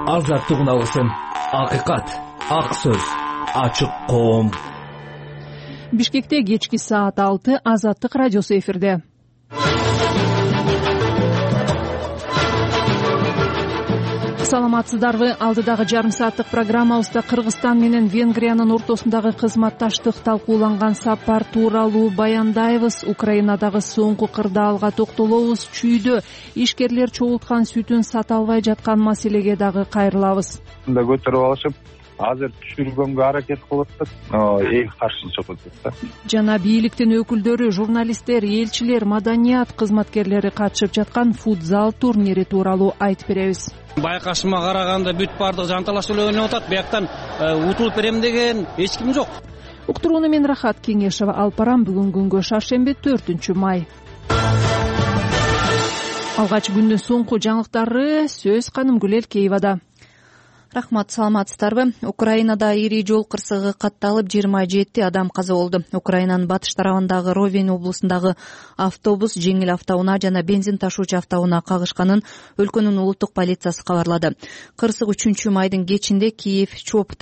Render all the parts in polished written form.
азаттык үналысын, акыйкат, ак сөз, ачык коом. Бишкекте кечки саат 6 Азаттык радиосу эфирде. Саламатсыздарбы? Алдыдагы жарым сааттык программабызда Кыргызстан менен Венгриянын ортосундагы кызматташтык талкууланган сапар тууралуу баяндайбыз. Украинадагы соңку кырдаалга токтолобуз. Чүйдө ишкерлер чогулткан сүтүн сата албай жаткан маселеге дагы кайрылабыз. Көтөрүп алышып, азыр түшүргөнгө аракет кылып атат, эң каршы чыгып атат. Жана бийликтин өкүлдөрү, журналисттер, элчилер, маданият кызматкерлери катышып жаткан футзал турнири тууралуу айтып беребиз. Байкашыма караганда бүт баардык жанталаш эле ойноп атат. Бияктан утулуп берем деген эч ким жок. Уктурууну мен Рахат Кеңешова алып барам. Бүгүн күнгө шаршемби 4-май. Алгач күндүн соңку жаңылыктары сөз Канымгүл Элкеевада. Рахмат, саламатсыздарбы? Украинада ири жол кырсыгы катталып 27 адам каза болду. Украинанын батыш тарабындагы Ровень облусундагы автобус жеңил автоунаа жана бензин ташуучу автоунаа кагышканын өлкөнүн улуттук полициясы кабарлады. Кырсык 3-майдын кечинде Киев-Чоп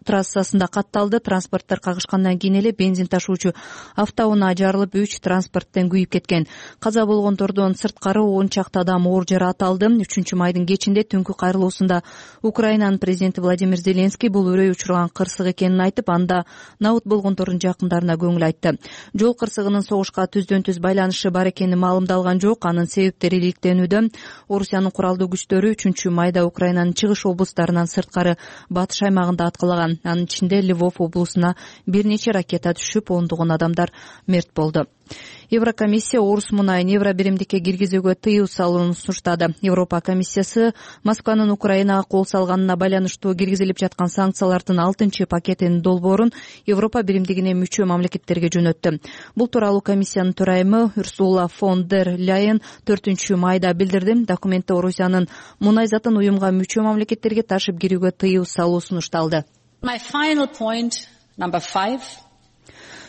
трассасында катталды. Транспорттор кагышкандан кийин эле бензин ташуучу автоунаа жарылып, 3 транспорттен күйүп кеткен. Каза болгондордон сырткары 10 чакты адам оор жаракат алды. 3-майдын кечинде түнкү кайрылуусунда Украинанын президенти Владимир Зеленский бул өрөй учурган кырсык экенин айтып, анда набыт болгондордун жакындарына көңүл айтты. Жол кырсыгынын согушка түздөн-түз байланышы бар экени маалымдалган жок. Анын себептери иликтенүүдө. Орусиянын куралдуу күчтөрү 3-майда Украинанын чыгыш облустарынан сырткары батыш аймагында аткалаган. Анын ичинде Львов облусуна бир нече ракета түшүп, ондогон адамдар мерт болду. Еврокомиссия Орус мунайын евро биримдикке киргизүүгө тыюу салууну сунуштады. Европа комиссиясы Москванын Украинага кол салганына байланыштуу киргизилип жаткан санкциялардын 6-чы пакетинин долбоорун Европа биримдигине мүчө мамлекеттерге жөнөттү. Бул тууралуу комиссиянын төрайымы Урсула фон дер Ляйен 4-майда билдирди. Документте Орусиянын мунай затын уюмга мүчө мамлекеттерге ташып кирүүгө тыюу салуу сунушталды. My final point, number 5.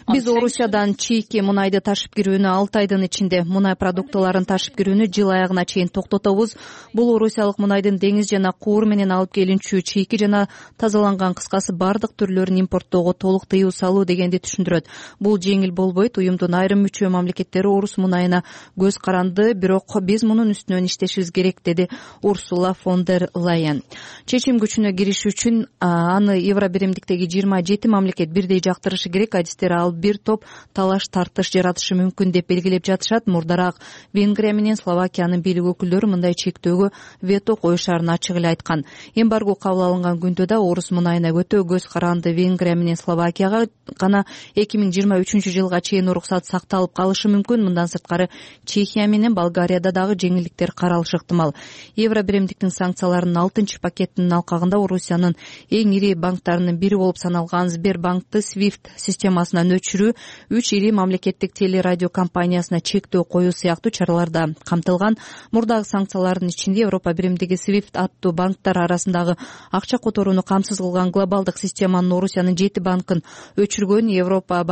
Биз Орусиядан чийки мунайды ташып кирүүнү 6 айдын ичинде, мунай продуктыларын ташып кирүүнү жыл аягына чейин токтотобуз. Бул орусиялык мунайдын деңиз жана куур менен алып келинчү чийки жана тазаланган, кыскасы бардык түрлөрүн импорттоого толук тыюу салуу дегенди түшүндүрөт. Бул жеңил болбойт. Уюмдун айрым мүчө мамлекеттери Орус мунайына көз каранды, бирок биз мунун үстүнөн иштешибиз керек, деди Урсула фон дер Ляйен. Чечим күчүнө кириш үчүн аны евро биримдиктеги 27 мамлекет бирдей жактырышы керек. Адистер ал бир топ талаш тартыш жаратышы мүмкүн деп белгилеп жатышат. Мурдараак Венгрия менен Словакиянын бийлик өкүлдөрү мындай чектөөгө вето коюшарын ачык эле айткан. Эмбарго кабыл алынган күндө да Орус мунайына өтө көз каранды Венгрия менен Словакияга гана 2023-жылга чейин уруксат сакталып калышы мүмкүн. Мындан сырткары Чехия менен Болгарияда дагы жеңилдиктер каралышы ыктымал. Евро биримдиктин санкцияларынын 6-чы пакетинин алкагында Орусиянын эң ири банктарынын бири болуп саналган Сбербанкты SWIFT системасынан өчүрүү, 3 ири мамлекеттик телерадио компаниясына чектөө коюу сыяктуу чаралар да камтылган. Мурдагы санкциялардын ичинде Европа биримдиги SWIFT аттуу банктар арасындагы акча которууну камсыз кылган глобалдык системанын Орусиянын 7 банкын өчүргөн, Европа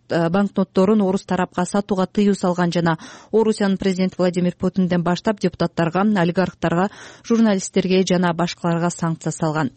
банкнотторун орус тарапка сатууга тыюу салган жана Орусиянын президенти Владимир Путинден баштап депутаттарга, олигархтарга, журналисттерге жана башкаларга санкция салган.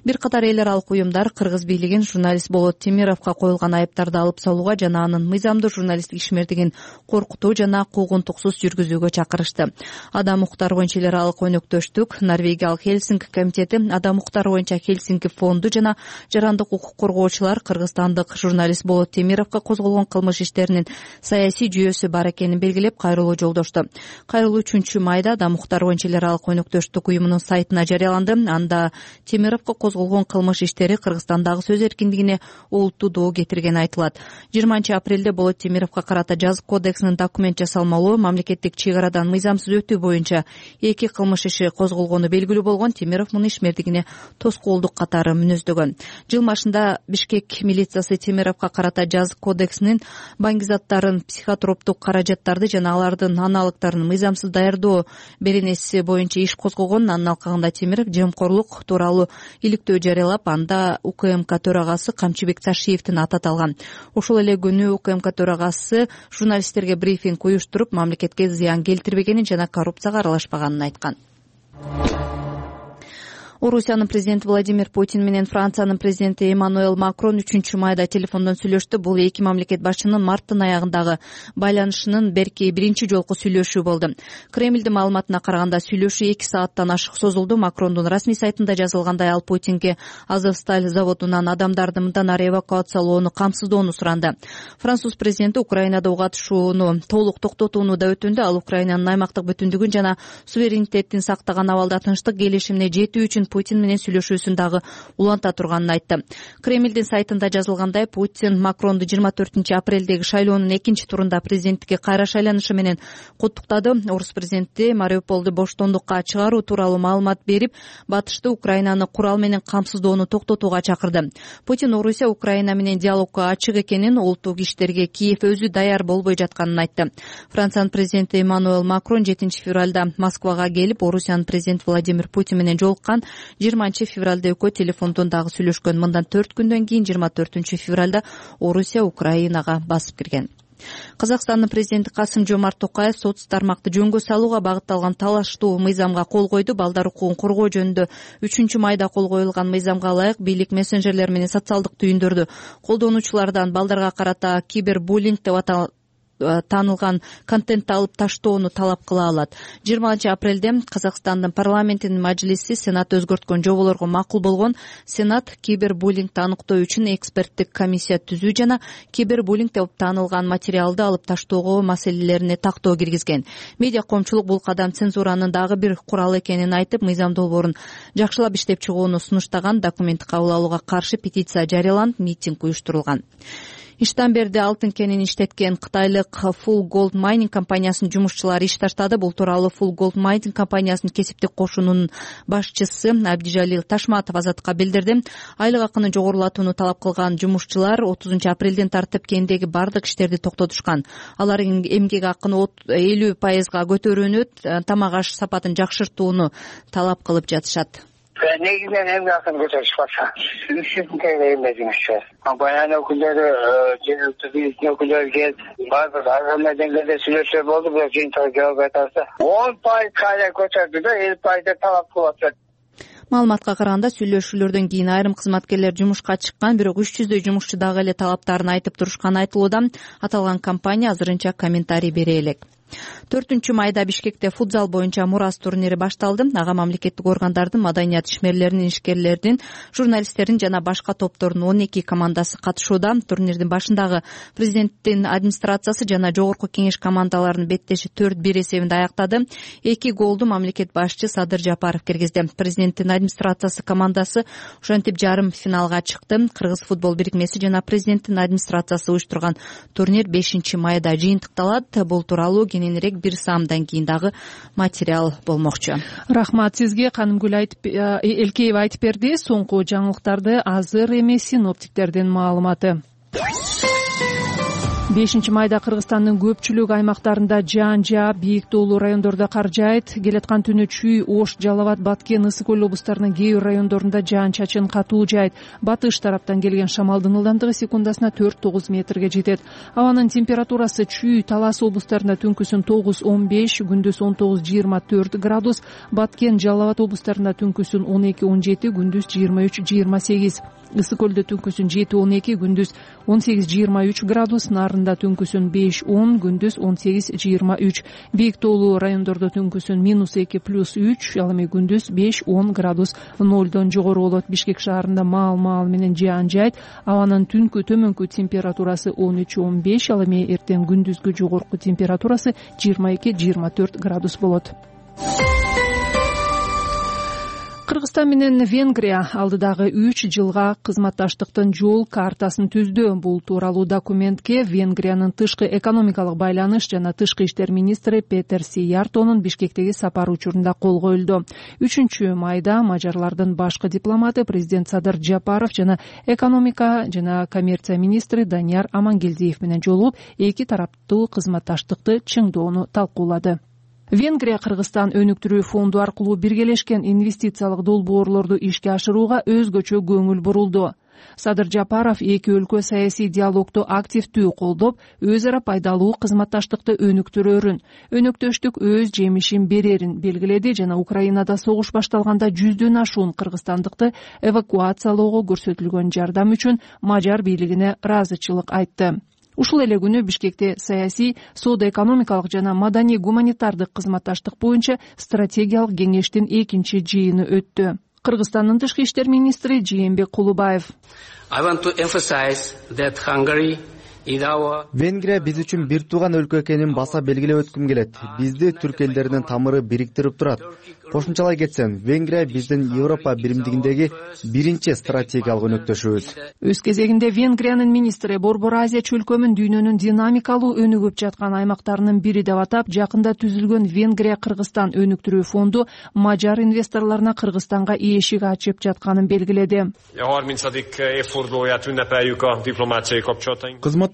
Бир катар эл аралык уюмдар кыргыз бийлигин журналист Болот Темировго коюлган айыптарды алып салууга жана анын мыйзамдуу журналисттик ишмердигин коркутуу жана куугунтуксуз жүргүзүүгө чакырышты. Адам укуктары боюнча эл аралык өнөктөштүк, Норвегиялык Хельсинки комитети, Адам укуктары боюнча Хельсинки фонду жана жарандык укук коргоочулар кыргызстандык журналист Болот Темировго козголгон кылмыш иштеринин саясий жүйөсү бар экенин белгилеп, кайрылуу жолдошту. Кайрылуу 3-майда Адам укуктары боюнча эл аралык өнөктөштүк уюмунун сайтына жарыяланды. Анда Темировго козголгон кылмыш иштери Кыргызстандагы сөз эркиндигине олуттуу доо кетиргени айтылат. 20-апрелде Болот Темировго карата жазык кодексинин документ жасалмалуу, мамлекеттик чек арадан мыйзамсыз өтүү боюнча 2 кылмыш иши козголгону белгилүү болгон. Темиров муну ишмердигине тоскоолдук катары мүнөздөгөн. Жыл башында Бишкек милициясы Темировго карата жазык кодексинин баңгизаттарын, психотроптук каражаттарды жана алардын аналогдорун мыйзамсыз даярдоо беренеси боюнча иш козгогон. Анын алкагында Темиров жемкорлук тууралуу иликтөө жарыялап, анда УКМК төрагасы Камчыбек Ташиевдин аты аталган. Ошол эле күнү УКМК төрагасы журналисттерге брифинг уюштуруп, мамлекетке зыян келтирбегенин жана коррупцияга аралашпаганын айткан. Орусиянын президенти Владимир Путин менен Франциянын президенти Эммануэль Макрон 3-майда телефондон сүйлөштү. Бул эки мамлекет башчынын марттын аягындагы байланышынын берки биринчи жолку сүйлөшүү болду. Кремлдин маалыматына караганда сүйлөшүү 2 сааттан ашык созулду. Макрондун расмий сайтында жазылгандай, ал Путинге Азовсталь заводунан адамдарды мындан ары эвакуациялоону камсыздоону суранды. Француз президенти Украинада катышууну толук токтотууну да өтүндү. Ал Украинанын аймактык бүтүндүгүн жана суверенитетин сактаган абалда тынчтык келишимине жетүү үчүн Путин менен сүйлөшүүсүн дагы уланта турганын айтты. Кремлдин сайтында жазылгандай, Путин Макронду 24-апрелдеги шайлоонун экинчи турунда президенттикке кайра шайланышы менен куттуктады. Орус президенти Мариуполду боштондукка чыгаруу тууралуу маалымат берип, батышты Украинаны курал менен камсыздоону токтотууга чакырды. Путин Орусия Украина менен диалогко ачык экенин, улуттук иштерге Киев өзү даяр болбой жатканын айтты. Франциянын президенти Эммануэль Макрон 7-февралда Москвага келип, Орусиянын президенти Владимир Путин менен жолуккан. 20-февралда экөө телефондон дагы сүйлөшкөн. Мындан 4 күндөн кийин 24-февралда Орусия Украинага басып кирген. Казакстандын президенти Касым-Жомарт Токаев соц тармакты жөнгө салууга багытталган талаштуу мыйзамга кол койду. Балдар укугун коргоо жөнүндө 3-майда кол коюлган мыйзамга ылайык бийлик мессенджерлер менен социалдык түйүндөрдү колдонуучулардан балдарга карата кибербуллинг деп таанылган контентти алып таштоону талап кыла алат. 20-апрелде Казакстандын парламентинин мажлиси Сенат өзгөрткөн жоболорго макул болгон. Сенат кибербуллингди аныктоо үчүн эксперттик комиссия түзүү жана кибербуллинг деп таанылган материалды алып таштоого маселелерине тактоо киргизген. Медиа коомчулук бул кадам цензуранын дагы бир куралы экенин айтып, мыйзам долбоорун жакшылап иштеп чыгууну сунуштаган. Документти кабыл алууга каршы петиция жарыяланып, митинг уюштурулган. Иштамберде алтын кенин иштеткен кытайлык Full Gold Mining компаниясынын жумушчулары иш таштады. Бул тууралуу Full Gold Mining компаниясынын кесиптик кошунунун башчысы Абдижалил Ташматов Азатка билдирди. Айлык акыны жогорулатууну талап кылган жумушчулар 30-апрелден тартып кендеги бардык иштерди токтотушкан. Алар эмгек акыны 50%га көтөрүүнү, тамак аш сапатын жакшыртууну талап кылып жатышат. Негизинен эмгек акын көтөрүшпаса, 300 теңге эмгегимизчи. Баян өкүлдөрү, жергиликтүү бийликтин өкүлдөрү келип, баардык аргамай деңгээлде сүйлөшүү болду, бирок жыйынтыгы жооп айтасы. 10% кайра көтөрдү да, 50% талап кылып атат. Маалыматка караганда, сүйлөшүүлөрдөн кийин айрым кызматкерлер жумушка чыккан, бирок 300дөй жумушчу дагы эле талаптарын айтып турушканы айтылууда. Аталган компания азырынча комментарий бере элек. 4-майда Бишкекте футзал боюнча Мурас турнири башталды. Ага мамлекеттик органдардын, маданият ишмерлеринин, ишкерлердин, журналисттердин жана башка топтордун 12 командасы катышууда. Турнирдин башындагы президенттин администрациясы жана жогорку кеңеш командаларынын беттеши 4-1 эсебинде аяктады. 2 голду мамлекет башчы Садыр Жапаров киргизди. Президенттин администрациясы командасы ошентип жарым финалга чыкты. Кыргыз футбол бирикмеси жана президенттин администрациясы уюштурган турнир 5-майда жыйынтыкталат. Бул тууралуу кененирээк бир саамдан кийин дагы материал болмокчу. Рахмат сизге. Канымгүл Элкеева айтып берди. Соңку жаңылыктарды азыр эмес синоптиктердин маалыматы. 5-майда Кыргызстандын көпчүлүк аймактарында жаан жаап, бийик тоолуу райондордо кар жаайт. Келаткан түнү Чүй, Ош, Жалал Абад, Баткен, Ысык көл облустарынын кээ бир райондорунда жаан-чачын катуу жаайт. Батыш тараптан келген шамалдын ылдамдыгы секундасына 4-9 метрге жетет. Абанын температурасы Чүй, Талас облустарында түнкүсүн 9-15, күндүз 19-24 градус, Баткен, Жалал Абад облустарында түнкүсүн 12-17, күндүз 23-28. Ысык көлдө түнкүсүн 7-12, күндүз 18-23 градус, Нарында түнкүсүн 5-10, күндүз 18-23. Бийик тоолуу райондордо түнкүсүн -2 ал эми күндүз 5-10 градус нолдон жогору болот. Бишкек шаарында маал менен жаан жаайт. Абанын түнкү төмөнкү температурасы 13-15, ал эми эртең күндүзгү жогорку температурасы 22-24 градус болот. Кыргызстан менен Венгрия алдыдагы 3 жылга кызматташтыктын жол картасын түздү. Бул тууралуу документке Венгриянын тышкы экономикалык байланыш жана тышкы иштер министри Петер Сияртонун Бишкектеги сапары учурунда кол коюлду. 3-майда мажарлардын башкы дипломаты президент Садыр Жапаров жана экономика жана коммерция министри Данияр Амангелдиев менен жолугуп, эки тараптуу кызматташтыкты чыңдоону талкуулады. Венгрия Кыргызстан өнүктүрүү фонду аркылуу биргелешкен инвестициялык долбоорлорду ишке ашырууга өзгөчө көңүл бурулду. Садыр Жапаров эки өлкө саясий диалогду активдүү колдоп, өз ара пайдалуу кызматташтыкты өнөктөштүк өз жемишин берерин белгиледи жана Украинада согуш башталганда 100дөн ашуун кыргызстандыкты эвакуациялоого көрсөтүлгөн жардам үчүн мажар бийлигине ыраазычылык айтты. Ушул эле күнү Бишкекте саясий, соода-экономикалык жана маданий-гуманитардык кызматташтык боюнча стратегиялык кеңештин экинчи жыйыны өттү. Кыргызстандын тышкы иштер министри Жээнбек Кулубаев: Венгрия биз үчүн бир тууган өлкө экенин баса белгилеп өткүм келет. Бизди түрк элдеринин тамыры бириктирип турат. Кошумчалай кетсем, Венгрия биздин Европа биримдигиндеги биринчи стратегиялык өнөктөшүбүз. Өз кезегинде Венгриянын министри Борбор Азия чөлкөмүн дүйнөнүн динамикалуу өнүгүп жаткан аймактарынын бири деп атап, жакында түзүлгөн Венгрия-Кыргызстан өнүктүрүү фонду мажар инвесторлоруна Кыргызстанга эшик ачып жатканын белгиледи.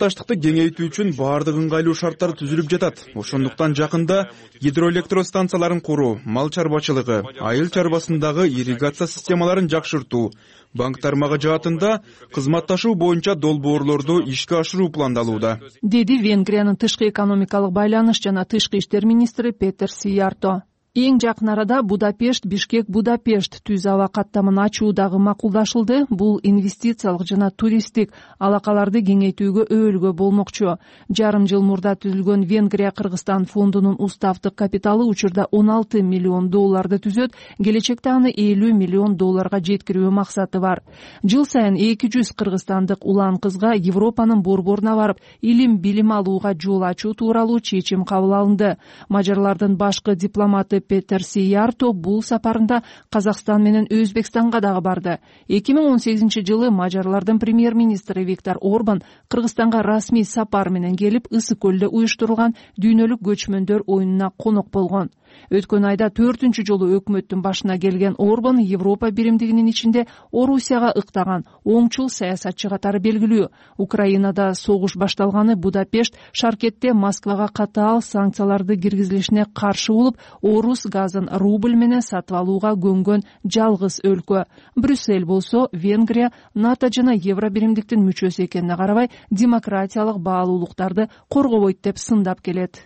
Кызматташтыкты кеңейтүү үчүн баардык ыңгайлуу шарттар түзүлүп жатат. Ошондуктан жакында гидроэлектростанцияларын куруу, мал чарбачылыгы, айыл чарбасындагы ирригация системаларын жакшыртуу, банк тармагы жаатында кызматташуу боюнча долбоорлорду ишке ашыруу пландалууда, деди Венгриянын тышкы экономикалык байланыш жана тышкы иштер министри Петер Сиярто. Эң жакын арада Будапешт, Бишкек, Будапешт түз аба каттамын ачуу дагы макулдашылды. Бул инвестициялык жана туристтик алакаларды кеңейтүүгө өбөлгө болмокчу. Жарым жыл мурда түзүлгөн Венгрия-Кыргызстан фондунун уставдык капиталы учурда $16 миллион түзөт, келечекте аны $50 миллион жеткирүү максаты бар. Жыл сайын 200 кыргызстандык улан кызга Европанын борборуна барып, илим билим алууга жол ачуу тууралуу чечим кабыл алынды. Мажарлардын башкы дипломаты Петер Сиярто бул сапарында Казакстан менен Өзбекстанга дагы барды. 2018 жылы мажарлардын премьер-министри Виктор Орбан Кыргызстанга расмий сапар менен келип, Ысык көлдө уюштурулган дүйнөлүк көчмөндөр оюнуна конок болгон. Өткөн айда 4-үнчү жолу өкмөттүн башына келген Орбан Европа биримдигинин ичинде Орусияга ыктаган оңчул саясатчы катары белгилүү. Украинада согуш башталганы Будапешт Шаркетте Москвага катаал санкцияларды киргизилишине каршы болуп, орус газын рубль менен сатып алууга көнгөн жалгыз өлкө. Брюссель болсо Венгрия НАТО жана Евро биримдиктин мүчөсү экенине карабай, демократиялык баалуулуктарды коргобойт деп сындап келет.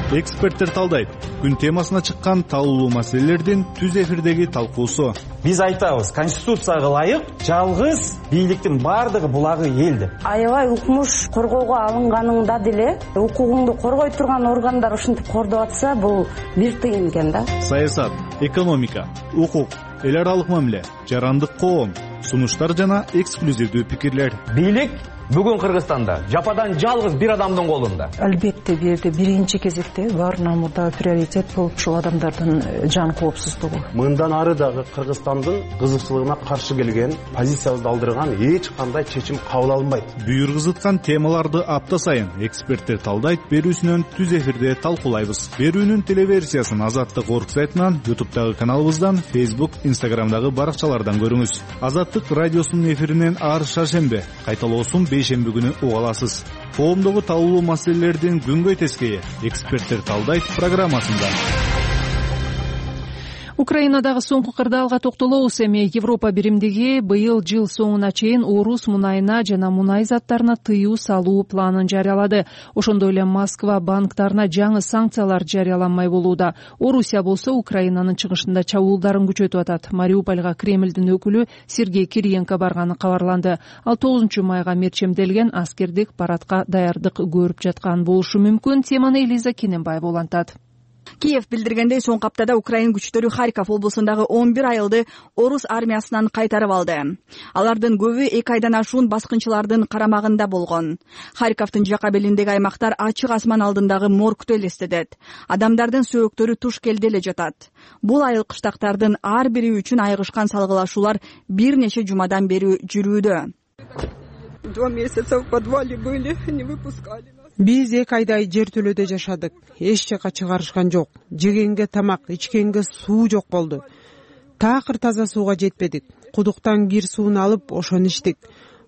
Эксперттер талдайт. Күн темасына чыккан талуулуу маселелердин түз эфирдеги талкуусу. Биз айтабыз, конституцияга ылайык жалгыз бийликтин бардыгы булагы эл деп. Аябай укмуш коргоого алынганыңда деле укугуңду коргой турган органдар ушинтип кордоп атса, бул бир тыйын экен да. Саясат, экономика, укук, эл аралык мамиле, жарандык коом, сунуштар жана эксклюзивдүү пикирлер. Бийлик бүгүн Кыргызстанда жападан жалгыз бир адамдын колунда. Албетте биринчи кезекте баарынан мурда приоритет болуп ушул адамдардын жан коопсуздугу. Мындан ары дагы Кыргызстандын кызыкчылыгына каршы келген, позициябызды алдырган эч кандай чечим кабыл алынбайт. Бүйүргүзыткан темаларды апта сайын эксперттер талдайт берүүсүнөн түз эфирде талкуулайбыз. Берүүнүн телеверсиясын Азаттык орг сайтынан, YouTube'дагы каналыбыздан, Facebook, Instagram'дагы баракчалардан көрүңүз. Азаттык радиосунун эфиринен ар шаршембе, кайталоосун бейшемби күнү уга аласыз. Коомдогу талуулуу маселелердин күнгөй тескейи эксперттер талдайт программасында. Украинадагы соңку кырдаалга токтолобуз. Эми Европа биримдиги быйыл жыл соңуна чейин орус мунайына жана мунай заттарына тыюу салуу планын жарыялады. Ошондой эле Москва банктарына жаңы санкциялар жарыяланмай болууда. Орусия болсо Украинанын чыгышында чабуулдарын күчөтүп атат. Мариупольга Кремлдин өкүлү Сергей Кириенко барганы кабарланды. Ал 9 майга мерчемделген аскердик парадка даярдык көрүп жаткан болушу мүмкүн. Теманы Элиза Кененбаева улантат. Киев билдиргендей, соңку аптада Украин күчтөрү Харьков облусундагы 11 айылды орус армиясынан кайтарып алды. Алардын көбү 2 айдан ашуун баскынчылардын карамагында болгон. Харьковдун жака белиндеги аймактар ачык асман алдындагы моргту элестетет. Адамдардын сөөктөрү туш келде эле жатат. Бул айыл кыштактардын ар бири үчүн айгышкан салгылашуулар бир нече жумадан бери жүрүүдө. 2 месяца в подвале были, не выпускали. Биз 2 айдай жертөлөдө жашадык. Эч жака чыгарышкан жок. Жегенге тамак, ичкенге суу жок болду. Такыр таза сууга жетпедик. Кудуктан кир суун алып, ошону ичтик.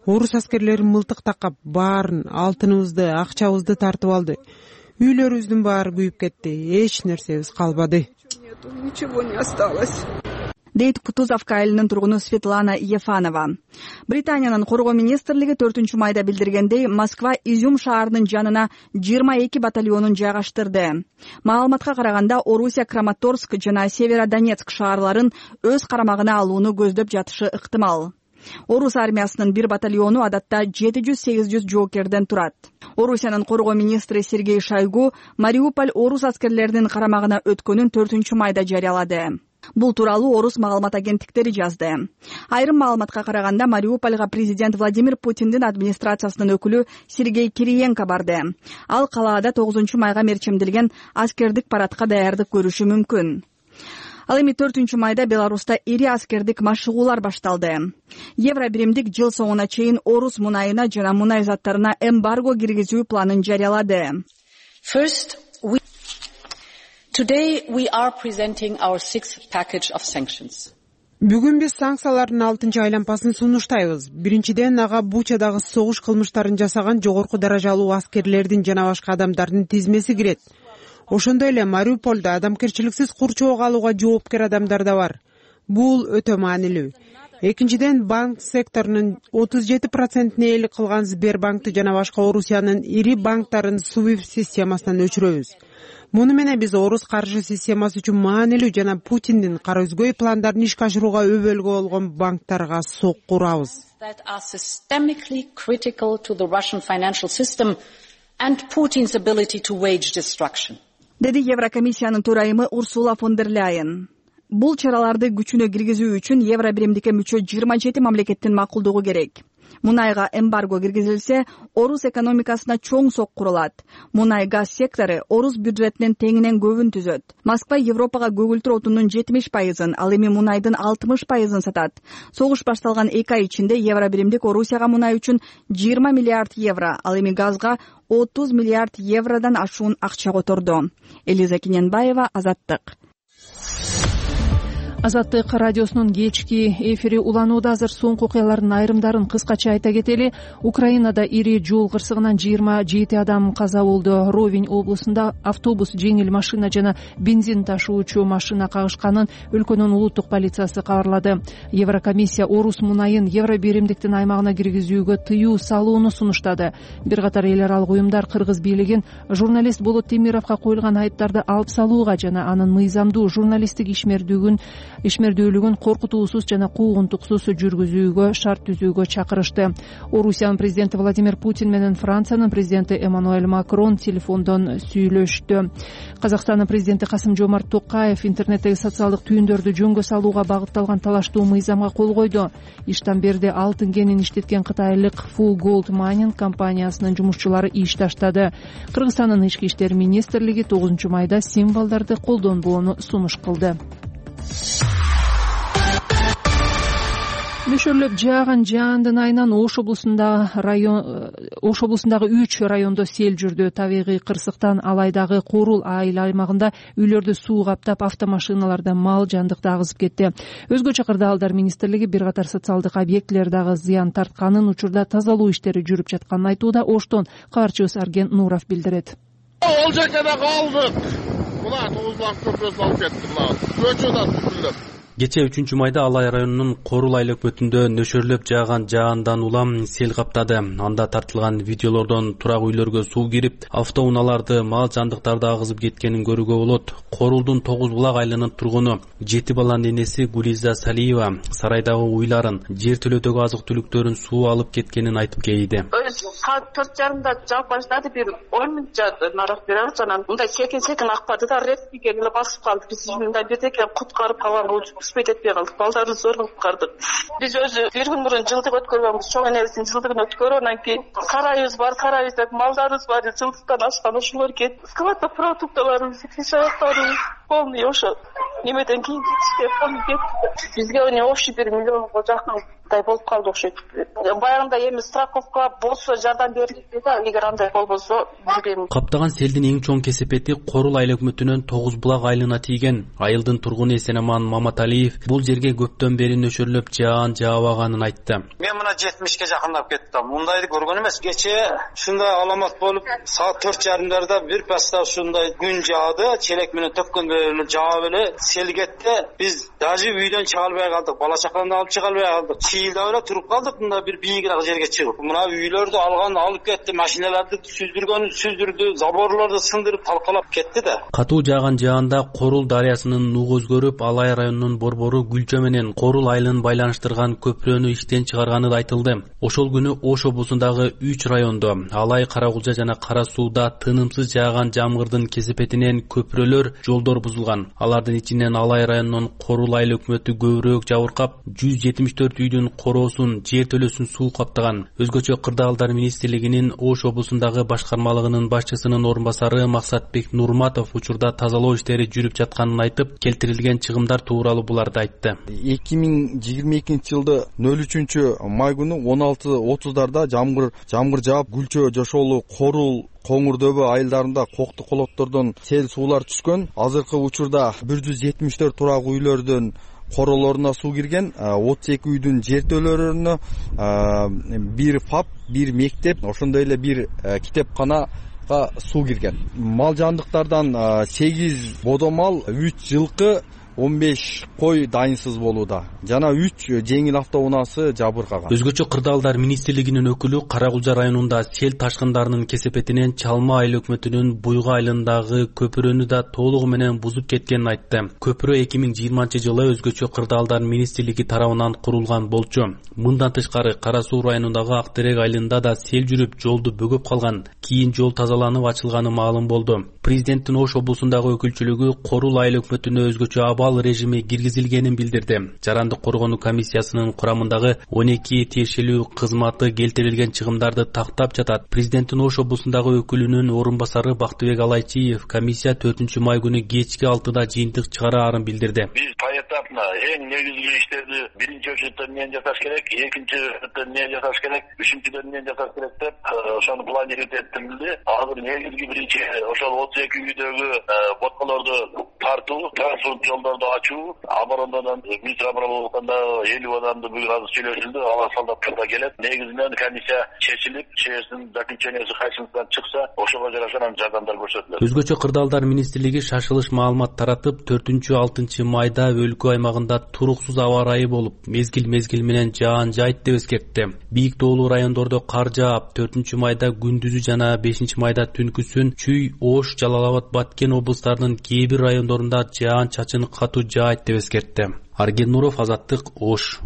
Орус аскерлери мылтык такап, баарын, алтыныбызды, акчабызды тартып алды. Үйлөрүбүздүн баары күйүп кетти. Эч нерсебиз калбады. Ничего не осталось. дейт Кутузовка айылынын тургуну Светлана Ефанова. Британиянын коргоо министрлиги 4-майда билдиргендей, Москва Изюм шаарынын жанына 22 батальонун жайгаштырды. Маалыматка караганда, Орусия Краматорск жана Северодонецк шаарларын өз карамагына алууну көздөп жатышы ыктымал. Орус армиясынын бир батальону адатта 700-800 жоокерден турат. Орусиянын коргоо министри Сергей Шойгу Мариуполь орус аскерлеринин карамагына өткөнүн 4-майда жарыялады. Бул тууралуу орус маалымат агенттиктери жазды. Айрым маалыматка караганда, Мариупольга президент Владимир Путиндин администрациясынын өкүлү Сергей Кириенко барды. Ал калаада 9-майга мерчимдилген аскердик парадка даярдык көрүшү мүмкүн. Ал эми 4-майда Беларуста ири аскердик машыгуулар башталды. Евро биримдик жыл соңуна чейин орус мунайына жана мунай заттарына эмбарго киргизүү планын жарыялады. Today we are presenting our 6th package of sanctions. Бүгүн биз санкциялардын 6-чы айлампасын сунуштайбыз. Биринчиден, ага Бучадагы согуш кылмыштарын жасаган жогорку даражалуу аскерлердин жана башка адамдардын тизмеси кирет. Ошондой эле Мариупольдо адамгерчиликсиз курчоого алууга жоопкер адамдар да бар. Бул өтө маанилүү. Экинчиден, банк секторунун 37%-ine ээлик кылган Сбербанкты жана башка Орусиянын ири банктарын SWIFT системасынан өчүрөбүз. Муну менен биз орус каржы системасы үчүн маанилүү жана Путиндин кара өзгөй пландарын ишке ашырууга өбөлгө болгон банктарга сокку урабыз. That are systemically critical to the Russian financial system and Putin's ability to wage destruction. Деди Еврокомиссиянын төрайымы Урсула фон дер Ляйен. Бул чараларды күчүнө киргизүү үчүн Евро биримдикке мүчө 27 мамлекеттин макулдугу керек. Мунайга эмбарго киргизилсе, орус экономикасына чоң сокку урулат. Мунай-газ сектору орус бюджетинин теңинен көбүн түзөт. Москва Европага көгүлтүр отунун 70%, ал эми мунайдын 60% сатат. Согуш башталган 2 ай ичинде Евро биримдик Орусияга мунай үчүн 20 миллиард евро, ал эми газга 30 миллиард евродан ашуун акча которду. Элиза Кененбаева, Азаттык. Азаттык радиосунун кечки эфири уланууда. Азыр соңку окуялардын айрымдарын кыскача айта кетели. Украинада ири жол кырсыгынан 27 адам каза болду. Ровень облусунда автобус, жеңил машина жана бензин ташуучу машина кагышканын өлкөнүн улуттук полициясы кабарлады. Еврокомиссия орус мунайын Евро биримдиктин аймагына киргизүүгө тыюу салууну сунуштады. Бир катар эл аралык уюмдар кыргыз бийлигин журналист Болот Темировго коюлган айыптарды алып салууга жана анын мыйзамдуу журналисттик ишмердүүлүгүн коркутуусуз жана куугунтуксуз жүргүзүүгө шарт түзүүгө чакырышты. Орусиянын президенти Владимир Путин менен Франциянын президенти Эммануэль Макрон телефондон сүйлөштү. Казакстандын президенти Касым-Жомарт Токаев интернеттеги социалдык түйүндөрдү жөнгө салууга багытталган талаштуу мыйзамга кол койду. Иштан берди алтын кенин иштеткен кытайлык Full Gold Mining компаниясынын жумушчулары иш таштады. Кыргызстандын ички иштер министрлиги 9-майда символдорду колдонбоону сунуш кылды. Нөшөрлөп жааган жаандын айынан Ош облусундагы 3 райондо сел жүрдү. Табигый кырсыктан Алайдагы Корул айыл аймагында үйлөрдү суу каптап, автомашиналарда мал жандыкты агызып кетти. Өзгөчө кырдаалдар министрлиги бир катар социалдык объектилер дагы зыян тартканын, учурда тазалоо иштери жүрүп жатканын айтууда. Оштон кабарчыбыз Арген Нуров билдирет. Ол жерде калдык. Мына 9 көпөсүн алып кетти. Көчөдөн түзүлөт. Кече 3-майда Алай районунун Корул айлык бөтүндө нөшөрлөп жааган жаандан улам сел каптады. Анда тартылган видеолордон турак үйлөргө суу кирип, автоунааларды, мал жандыктарды агызып кеткенин көрүүгө болот. Корулдун 9 булак айылынын тургуну 7 баланын энеси Гулиза Салиева сарайдагы уйларын, жер төлөдөгү азык түлүктөрүн суу алып кеткенин айтып кейди. Саат 4:30 жаап баштады, бир 10 мүнөт жаады, нарак берет, анан мындай секин акпады да, ретке келип басып калды. Биз мындай бирдеке куткарып калган успеть этпей калдык. Балдарды зорго куткардык. Биз өзү бир күн мурун жылдык өткөргөнбүз, чоң энебиздин жылдыгын өткөрүп, анан кийин карайыбыз бар, карайбыз, малдарыбыз бар, жылдыктан ашкан ошолор кетти. Складда продукталарыбыз, аяктарыбыз полный ошо немеден кийин телефон кетти. Бизге общий 1 миллионго жакын мындай болуп калды окшойт. Баягында эми страховка болсо жардам берилет да, эгер андай болбосо билбейм. Каптаган селдин эң чоң кесепети Корул айыл өкмөтүнүн Тогуз булак айылына тийген. Айылдын тургуну Эсенаман Маматалиев бул жерге көптөн бери нөшөрлөп жаан жаабаганын айтты. Мен мына 70ке жакындап кеттим. Мындайды көргөн эмес. Кечээ ушундай аламат болуп, саат 4:30 бир паста ушундай күн жаады, челек менен төккөндөй эле жаап эле сел кетти. Биз даже үйдөн чыга албай калдык. Бала чаканды алып чыга албай калдык. Чыйылдап эле туруп калдык мында бир бийигирээк жерге чыгып. Мына үйлөрдү алып кетти, машиналарды сүздүрдү, заборлорду сындырып талкалап кетти да. Катуу жааган жаанда Корул дарыясынын нугу өзгөрүп, Алай районунун борбору Гүлчө менен Корул айылын байланыштырган көпүрөнү иштен чыгарганы да айтылды. Ошол күнү Ош облусундагы 3 райондо Алай, Карагулжа жана Кара Сууда тынымсыз жааган жамгырдын кесепетинен көпүрөлөр, жолдор бузулган. Алардын ичинен Алай районунун Корул айыл өкмөтү көбүрөөк жабыркап, 174 үйдүн короосун, жер төлөсүн суу каптаган. Өзгөчө Кырдаалдар министрлигинин Ош облусундагы башкармалыгынын башчысынын орун басары Максатбек Нурматов учурда тазалоо иштери жүрүп жатканын айтып, келтирилген чыгымдар тууралуу буларды айтты. 2022-жылды 03-май күнү 16:30 жамгыр жаап, Гүлчө, Жошолу, Корул, Коңурдөбө айылдарында кокту колоттордон сел суулар түшкөн. Азыркы учурда 174 турак үйлөрдүн королоруна суу кирген, 32 үйдүн жер төлөлөрүнө, бир ФАП, бир мектеп, ошондой эле бир китепканага суу кирген. Мал жандыктардан 8 бодомал, 3 жылкы, 15 кой дайынсыз болууда жана 3 жеңил автоунаасы жабыркаган. Өзгөчө Кырдаалдар министрлигинин өкүлү Карагулжа районунда сел ташкындарынын кесепетинен Чалма айыл өкмөтүнүн Буйга айылындагы көпүрөнү да толугу менен бузуп кеткенин айтты. Көпүрө 2020-жылы өзгөчө Кырдаалдар министрлиги тарабынан курулган болчу. Мындан тышкары Кара Суу районундагы Актерек айылында да сел жүрүп, жолду бөгөп калган. Кийин жол тазаланып ачылганы маалым болду. Президенттин Ош облусундагы өкүлчүлүгү Корул айыл өкмөтүнө өзгөчө абал режими киргизилгенин билдирди. Жарандык коргонуу комиссиясынын курамындагы 12 тиешелүү кызматы келтирилген чыгымдарды тактап жатат. Президенттин Ош облусундагы өкүлүнүн орун басары Бактыбек Алайчиев комиссия 4-май күнү кечки 6-да жыйынтык чыгараарын билдирди. Биз поэтапно эң негизги иштерди биринчи очередде эмнени жасаш керек, экинчи очередде эмнени жасаш керек, үчүнчүдөн эмнени жасаш керек деп ошону планировать этилди. Азыр негизги биринчи ошол 32 үйдөгү боткалорду тартуу, транспорт жолдорду ачуу, оборонадан министр обороны 50 адамды бүгүн азыр сүйлөшүлдү, алар солдаттар да келет. Негизинен комиссия чечилип, чечимдин заключениясы кайсысынан чыкса, ошого жараша жардамдар көрсөтүлөт. Өзгөчө Кырдаалдар министрлиги шашылыш маалымат таратып, 4-6 майда өлкө аймагында туруксуз аба ырайы болуп, мезгил менен жаан жайт деп эскертти. Бийик тоолуу райондордо кар жаап, 4-майда күндүзү жана 5-майда түнкүсүн Чүй, Ош, Жалал Абад, Баткен облустарынын кээ бир райондорунда жаан чачын катуу жаайт деп эскертти. Арген Нуров, Азаттык, Ош.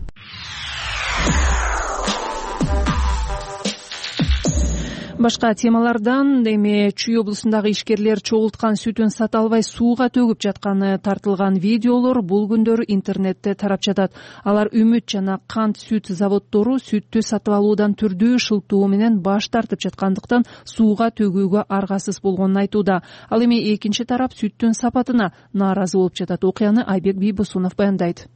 Башка темалардан эми Чүй облусундагы ишкерлер чогулткан сүтүн сата албай сууга төгүп жатканы тартылган видеолор бул күндөрү интернетте тарап жатат. Алар Үмүт жана Кант сүт заводдору сүттү сатып алуудан түрдүү шылтоо менен баш тартып жаткандыктан сууга төгүүгө аргасыз болгонун айтууда. Ал эми экинчи тарап сүттүн сапатына нааразы болуп жатат. Окуяны Айбек Бийбосунов баяндайт.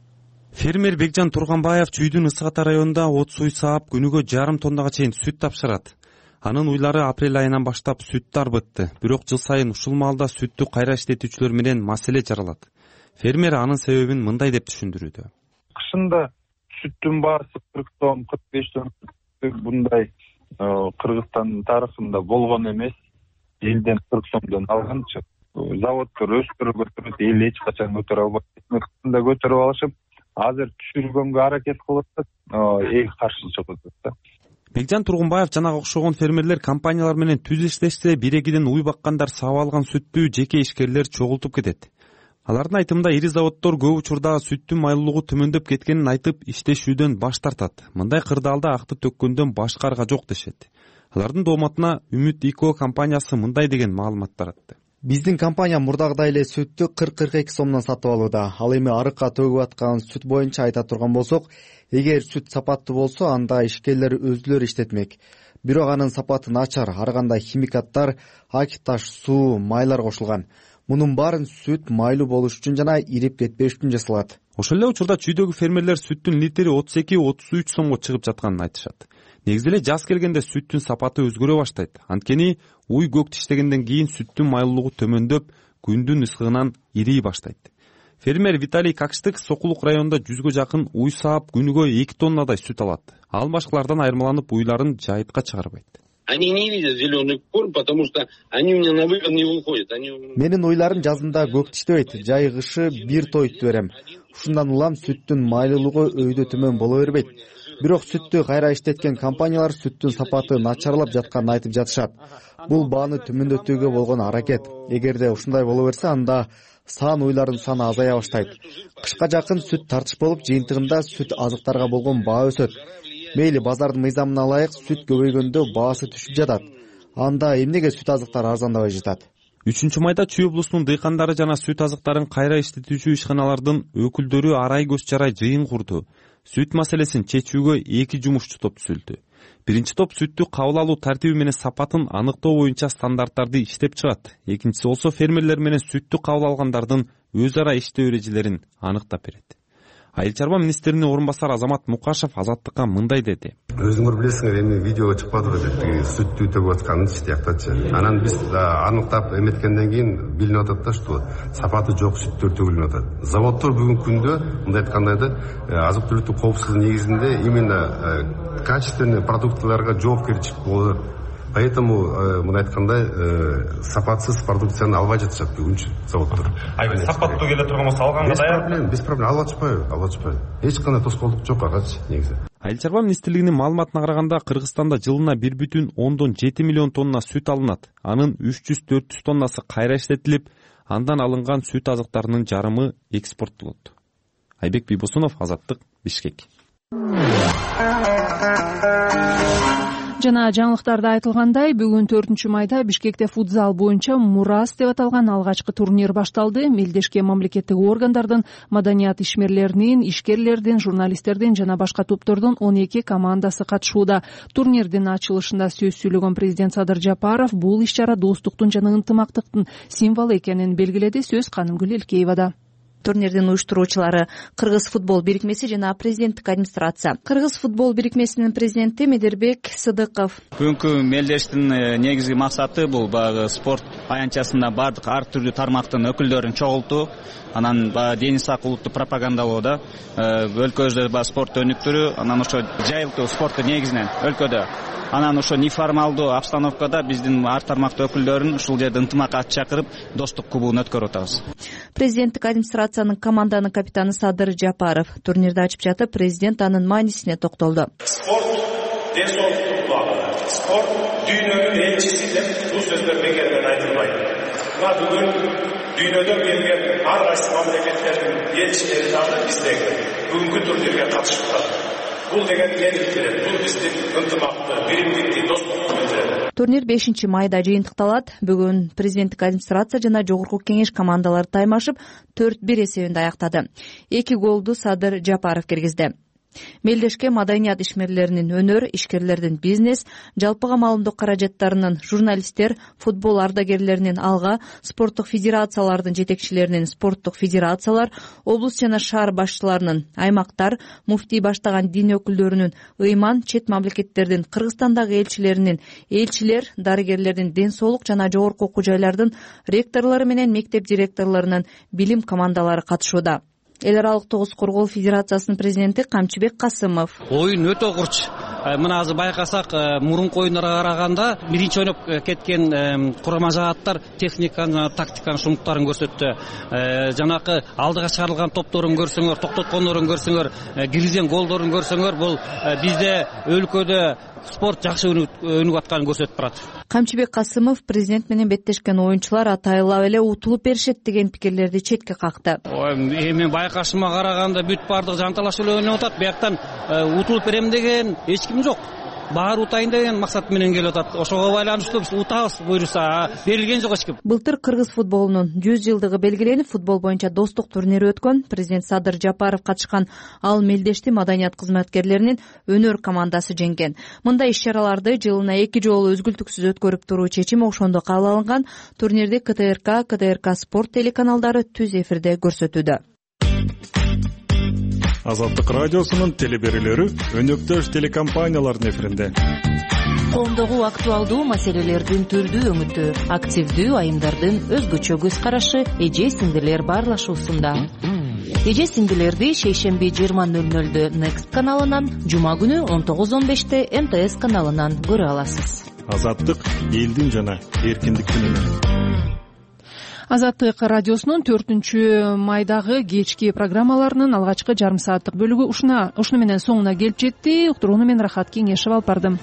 Фермер Бекжан Турганбаев Чүйдүн Ысык Ата районунда от суй саап күнүгө 1,5 тоннага чейин сүт тапшырат. Анын уйлары апрель айынан баштап сүттү арбытты. Бирок жыл сайын ушул маалда сүттү кайра иштетүүчүлөр менен маселе жаралат. Фермер анын себебин мындай деп түшүндүрүүдө. Кышында сүттүн баасы 40 сом, 45 сом bunday Кыргызстан тарыхында болгон эмес. Элден 40 сомдон алганчы. Заводдор өстүрүп өтүрөт, эл эч качан көтөрө албайт. Кышында көтөрүп алышып, азыр түшүргөнгө аракет кылып атат, эл каршы чыгып атат. Бекжан Тургунбаев жана окшогон фермерлер компаниялар менен түз иштешсе, бири-экиден уй баккандар саап алган сүттү жеке ишкерлер чогултуп кетет. Алардын айтымында ири заводдор көп учурда сүттүн майлуулугу төмөндөп кеткенин айтып, иштешүүдөн баш тартат. Мындай кырдаалда акты төккөндөн башка арга жок дешет. Алардын дооматына Үмүт ИКО компаниясы мындай деген маалымат таратты. Биздин компания мурдагыдай эле сүттү 40-42 сомдон сатып алууда. Ал эми арыкка төгүп аткан сүт боюнча айта турган болсок, эгер сүт сапаттуу болсо, анда ишкерлер өзүлөрү иштетмек. бирок анын сапаты начар, ар кандай химикаттар, ак таш, суу, майлар кошулган. Мунун баарын сүт майлуу болуш үчүн жана ирип кетпеш үчүн жасалат. Ошол эле учурда чүйдөгү фермерлер сүттүн литри 32-33 сомго чыгып жатканын айтышат. Негизи эле жаз келгенде сүттүн сапаты өзгөрө баштайт. Анткени уй көк тиштегенден кийин сүттүн майлуулугу төмөндөп, күндүн ысыгынан ирий баштайт. Фермер Виталий Какштык Сокулук районунда 100гө жакын уй саап күнүгө 2 тоннадай сүт алат. Ал башкалардан айырмаланып уйларын жайытка чыгарбайт. Они не видят зеленый корм, потому что они у меня на выгон не выходят. Менин уйларым жазында көк тиштебейт, жай кышы бир тойту берем. Ушундан улам сүттүн майлуулугу өйдө төмөн боло бербейт. Бирок сүттү кайра иштеткен компаниялар сүттүн сапаты начарлап жатканын айтып жатышат. Бул бааны төмөндөтүүгө болгон аракет. Эгерде ушундай боло берсе, анда сан уйлардын саны азая баштайт. Кышка жакын сүт тартыш болуп, жыйынтыгында сүт азыктарга болгон баа өсөт. Мейли базардын мыйзамына ылайык сүт көбөйгөндө баасы түшүп жатат. Анда эмнеге сүт азыктар арзандабай жатат? 3-майда Чүй облусунун дыйкандары жана сүт азыктарын кайра иштетүүчү ишканалардын өкүлдөрү арай көз чарай жыйын курду. Сүт маселесин чечүүгө 2 жумушчу топ түзүлдү. Биринчи топ сүттү кабыл алуу тартиби менен сапатын аныктоо боюнча стандарттарды иштеп чыгат. Экинчиси болсо фермерлер менен сүттү кабыл алгандардын өз ара иштөө эрежелерин аныктап берет. Айыл чарба министринин орун басары Азамат Мукашев Азаттыкка мындай деди. Өзүңөр билесиңер, эми видеого чыкпадыбы деп, сүттү төгүп атканын тияктачы. Анан биз аныктап эметкенден кийин билинип атат да, что сапаты жок сүттөр төгүлүп атат. Заводдор бүгүнкү күндө мындай айтканда да азык түлүктүк коопсуздугу негизинде именно качественный продуктыларга жоопкерчилик болот. Поэтому мына айткандай сапатсыз продукцияны албай жатышат бүгүнчү заводдор. Сапаттуу келе турган болсо алганга даяр. Без проблем, алып атышпайбы. Эч кандай тоскоолдук жок агачы негизи. Айыл чарба министрлигинин маалыматына караганда Кыргызстанда жылына 1,7 миллион тонна сүт алынат. Анын 300-400 тоннасы кайра иштетилип, андан алынган сүт азыктарынын жарымы экспорттолот. Айбек Бийбосунов, Азаттык, Бишкек. Жана жаңылыктарда айтылгандай, бүгүн 4-майда Бишкекте футзал боюнча Мурас деп аталган алгачкы турнир башталды. Мелдешке мамлекеттик органдардын, маданият ишмерлеринин, ишкерлердин, журналисттердин жана башка топтордун 12 командасы катышууда. Турнирдин ачылышында сөз сүйлөгөн президент Садыр Жапаров бул иш-чара достуктун жана ынтымактыктын символу экенин белгиледи. Сөз Канымгүл Элкеевада. Турнирдин уюштуруучулары Кыргыз футбол бирикмеси жана президенттик администрация. Кыргыз футбол бирикмесинин президенти Медербек Сыдыков. Бүгүнкү мелдештин негизги максаты бул баягы спорт аянтчасында бардык ар түрдүү тармактын өкүлдөрүн чогултуу, анан дени сак улутту пропагандалоо да, өлкөбүздө спорт өнүктүрүү, анан ошо жайылтуу спортту негизинен өлкөдө. Анан ошо неформалдуу обстановкада биздин ар тармактуу өкүлдөрүн ушул жерде ынтымакка чакырып, достук кубогун өткөрүп атабыз. Президенттик администрациянын команданын капитаны Садыр Жапаров турнирди ачып жатып, президент анын маанисине токтолду. Спорт ден соолуктун булагы, спорт дүйнөнүн элчиси деп бул сөздөр бекерден айтылбайт. Мына бүгүн дүйнөдө келген ар кайсы мамлекеттердин элчилери дагы биздеги бүгүнкү турнирге катышып атат. Бул деген элдик берет, бул биздин ынтымакты, биримдикти, достукту билдирет. Турнир 5-майда жыйынтыкталат. Бүгүн президенттик администрация жана жогорку кеңеш командалары таймашып 4-1 эсебинде аяктады. 2 голду Садыр Жапаров киргизди. Мелдешке маданият ишмерлеринин, өнөр, ишкерлердин, бизнес, жалпыга маалымдоо каражаттарынын, журналисттер, футбол ардагерлеринин алга, спорттук федерациялардын жетекчилеринин, спорттук федерациялар, облус жана шаар башчыларынын, аймактар, муфтий баштаган дин өкүлдөрүнүн, ыйман, чет мамлекеттердин, Кыргызстандагы элчилеринин, элчилер, дарыгерлердин, ден соолук жана жогорку окуу жайлардын ректорлору менен мектеп директорлорунун билим командалары катышууда. Эл аралык тогуз коргоо федерациясынын президенти Камчыбек Касымов. Оюн өтө курч. Мына азыр байкасак, мурунку оюндарга караганда биринчи ойноп кеткен курама жааттар техниканы, тактиканын шумуктарын көрсөттү. Жанакы алдыга чыгарылган топторун көрсөңөр, токтоткондорун көрсөңөр, киргизген голдорун көрсөңөр, бул бизде өлкөдө спорт жакшы өнүгүп атканын көрсөтүп турат. Камчыбек Касымов президент менен беттешкен оюнчулар атайлап эле утулуп беришет деген пикирлерди четке какты. Эми байкашыма караганда бүт бардык жанталаш эле ойноп атат. Бияктан утулуп берем деген эч ким жок. баары утайын деген максат менен келип атат. Ошого байланыштуу биз утабыз буйруса, берилген жок эч ким. Былтыр кыргыз футболунун 100 жылдыгы белгиленип, футбол боюнча достук турнири өткөн. Президент Садыр Жапаров катышкан ал мелдешти маданият кызматкерлеринин өнөр командасы жеңген. Мындай иш-чараларды жылына 2 жолу өзгүлтүксүз өткөрүп туруу чечим ошондо кабыл алынган. Турнирди КТРК спорт телеканалдары түз эфирде көрсөтүүдө. Азаттык радиосунун телеберүүлөрү өнөктөш телекомпаниялардын эфиринде. Коомдогу актуалдуу маселелердин түрдүү өңүтү, активдүү айымдардын өзгөчө көз карашы, эже сиңдилер баарлашуусунда. Эже сиңдилерди шейшемби 20:00 Next каналынан, жума күнү 19:15 МТС каналынан көрө аласыз. Азаттык элдин жана эркиндиктин үнү. Азаттык радиосунун 4 майдагы кечки программаларынын алгачкы жарым сааттык бөлүгү ушуну менен соңуна келип жетти. Уктурууну мен Рахат Кеңешев алып бардым.